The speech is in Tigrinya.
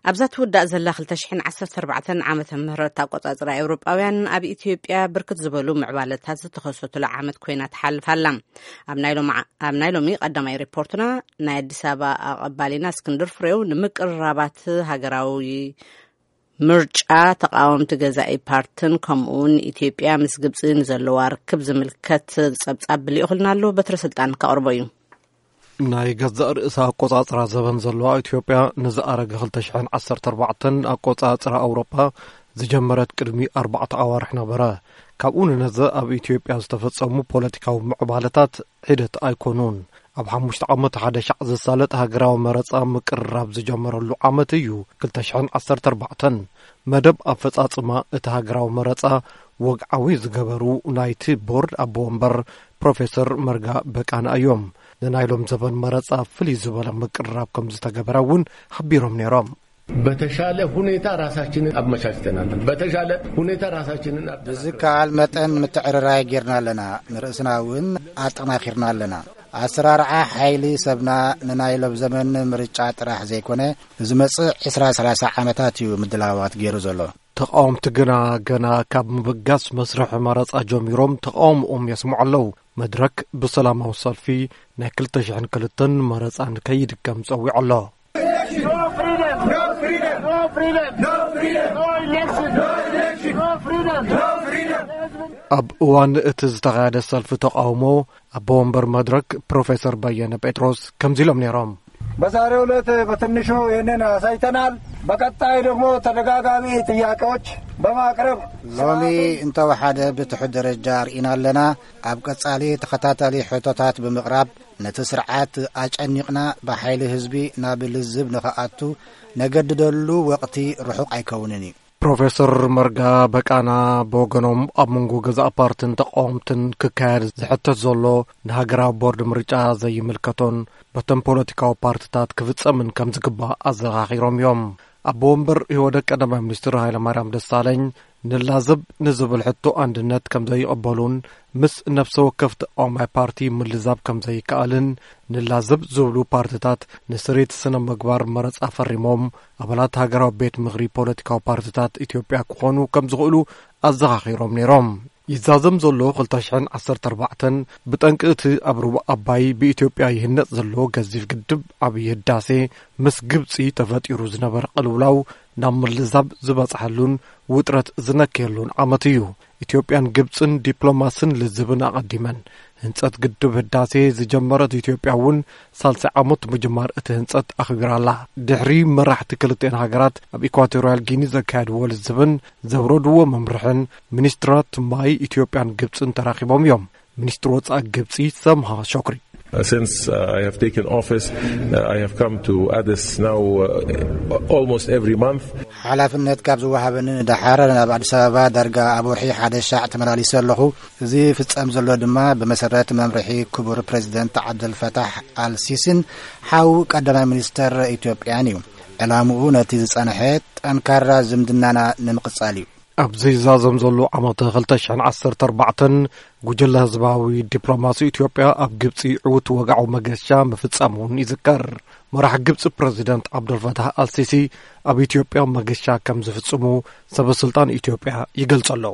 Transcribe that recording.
ኣብዛ ትውዳእ ዘላ ክልተ ሽሕን ዓሰርተ ኣርባዕተን ዓመተ ምህረት ኣቆጻጽራ ኤውሮጳውያን፣ ኣብ ኢትዮጵያ ብርክት ዝበሉ ምዕባለታት ዝተኸሰቱላ ዓመት ኮይና ትሓልፍ ኣላ። ኣብ ናይ ሎም-፣ ኣብ ናይ ሎሚ ቀዳማይ ሪፖርትና፣ ናይ ኣዲስ ኣበባ ኣቐባሊና እስክንድር ፍሬው፣ ንምቅርራባት ሃገራዊ ምርጫ፣ ተቃወምቲ ገዛኢ ፓርትን ከምኡ እውን ኢትዮጵያ ምስ ግብጺ ንዘለዋ ርክብ ዝምልከት ጸብጻብ ብልኢኹልና ኣሎ። በትረ ስልጣን ከቕርቦ እዩ። ናይ ገዛእ ርእሳ ኣቆጻጽራ ዘበን ዘለዋ ኢትዮጵያ፣ ንዝኣረገ ክልተ ሽሕን ዓሰርተ ኣርባዕተን ኣቆጻጽራ ኣውሮጳ ዝጀመረት ቅድሚ ኣርባዕተ ኣዋርሕ ነበረ። ካብኡ ንነዘ ኣብ ኢትዮጵያ ዝተፈጸሙ ፖለቲካዊ ምዕባለታት ሒደት ኣይኮኑን። ኣብ ሓሙሽተ ዓመት ሓደ ሻዕ ዝሳለጥ ሃገራዊ መረጻ ምቅርራብ ዝጀመረሉ ዓመት እዩ ክልተ ሽሕን ዓሰርተ ኣርባዕተን። መደብ ኣፈጻጽማ እቲ ሃገራዊ መረጻ ወግዓዊ ዝገበሩ ናይቲ ቦርድ ኣቦ ወንበር ፕሮፌሰር መርጋ በቃና እዮም። ንናይ ሎም ዘበን መረጻ ፍልይ ዝበለ ምቅርራብ ከም ዝተገበረ እውን ሓቢሮም ነይሮም። በተሻለ ሁኔታ ራሳችንን አመቻችተናል። በተሻለ ሁኔታ ራሳችንን አጠናክረናል። ብዝከኣል መጠን ምትዕርራይ ጌርና ኣለና። ንርእስና እውን ኣጠናኺርና ኣለና። ኣሰራርዓ ሓይሊ ሰብና ንናይ ሎም ዘመን ምርጫ ጥራሕ ዘይኮነ፣ ንዝመጽእ ዕስራ ሰላሳ ዓመታት እዩ ምድላዋት ገይሩ ዘሎ። ተቃወምቲ ግና ገና ካብ ምብጋስ መስርሕ መረጻ ጀሚሮም ተቃውሞኦም የስምዑ ኣለዉ። መድረክ ብሰላማዊ ሰልፊ ናይ ክልተ ሽሕን ክልተን መረጻ ንከይድገም ጸዊዑ ኣሎ። No freedom! No freedom! No freedom! No freedom! No election! No election! No freedom! No freedom! ኣብ እዋን እቲ ዝተኻየደ ሰልፊ ተቃውሞ፣ ኣቦ ወንበር መድረክ ፕሮፌሰር በየነ ጴጥሮስ ከምዚ ኢሎም ነይሮም። በዛሬው ዕለት በትንሹ ይህንን አሳይተናል። በቀጣይ ደግሞ ተደጋጋሚ ጥያቄዎች በማቅረብ ሎሚ እንተወሓደ ብትሑት ደረጃ ርኢና ኣለና። ኣብ ቀጻሊ ተኸታታሊ ሕቶታት ብምቕራብ ነቲ ስርዓት ኣጨኒቕና ብሓይሊ ህዝቢ ናብ ልዝብ ንኽኣቱ ነገድደሉ ወቕቲ ርሑቕ ኣይከውንን እዩ። ፕሮፌሰር መርጋ በቃና ብወገኖም፣ ኣብ መንጎ ገዛእ ፓርትን ተቃወምትን ክካየድ ዝሕተት ዘሎ ንሃገራዊ ቦርድ ምርጫ ዘይምልከቶን በተን ፖለቲካዊ ፓርትታት ክፍጸምን ከም ዝግባእ ኣዘኻኺሮም እዮም። ኣቦ ወንበር ኢህወደግ ቀዳማይ ሚኒስትር ሃይለማርያም ደሳለኝ፣ ንላዘብ ንዝብል ሕቶ ኣንድነት ከም ዘይቕበሉን ምስ ነፍሰ ወከፍ ተቃዋማይ ፓርቲ ምልዛብ ከም ዘይከኣልን፣ ንላዘብ ዝብሉ ፓርትታት ንስሬት ስነ ምግባር መረጻ ፈሪሞም ኣባላት ሃገራዊ ቤት ምኽሪ ፖለቲካዊ ፓርትታት ኢትዮጵያ ክኾኑ ከም ዝኽእሉ ኣዘኻኺሮም ነይሮም። ይዛዘም ዘሎ ክልተ ሽሕን ዓሰርተ ኣርባዕተን ብጠንቂ እቲ ኣብ ሩባ ኣባይ ብኢትዮጵያ ይህነጽ ዘሎ ገዚፍ ግድብ ዓብዪ ህዳሴ ምስ ግብጺ ተፈጢሩ ዝነበረ ቅልውላው ናብ ምልዛብ ዝበጽሐሉን ውጥረት ዝነከየሉን ዓመት እዩ። ኢትዮጵያን ግብጽን ዲፕሎማስን ልዝብን ኣቐዲመን። ህንጸት ግድብ ህዳሴ ዝጀመረት ኢትዮጵያ እውን ሳልሳይ ዓመት ምጅማር እቲ ህንጸት ኣኽቢራ ኣላ። ድሕሪ መራሕቲ ክልቲኤን ሃገራት ኣብ ኢኳቶርያል ጊኒ ዘካየድዎ ልዝብን ዘውረድዎ መምርሕን፣ ሚኒስትራት ማይ ኢትዮጵያን ግብጽን ተራኺቦም እዮም። ሚኒስትር ወጻኢ ግብጺ ሰምሃ ሾክሪ። Uh, since, uh, I have taken office, uh, I have come to Addis now, uh, almost every month. ሓላፍነት ካብ ዝወሃበኒ ንደሓር ናብ ኣዲስ ኣበባ ዳርጋ ኣብ ወርሒ ሓደ ሻዕ ተመላሊሰ ኣለኹ። እዚ ፍጸም ዘሎ ድማ ብመሰረት መምርሒ ክቡር ፕሬዚደንት ዓብደልፈታሕ ኣልሲሲን ሓው ቀዳማይ ሚኒስተር ኢትዮጵያን እዩ። ዕላምኡ ነቲ ዝጸንሐ ጠንካራ ዝምድናና ንምቕጻል እዩ። ኣብዚ ዝዛዘም ዘሎ ዓመት ክልተ ሽሕን ዓሰርተ ኣርባዕተን፣ ጉጅለ ህዝባዊ ዲፕሎማሲ ኢትዮጵያ ኣብ ግብጺ ዕዉት ወግዓዊ መገሻ ምፍጻሙ እውን ይዝከር። መራሕ ግብጺ ፕረዚደንት ዓብደልፈታህ ኣልሲሲ ኣብ ኢትዮጵያ መገሻ ከም ዝፍጽሙ ሰበ ስልጣን ኢትዮጵያ ይገልጹ ኣለዉ።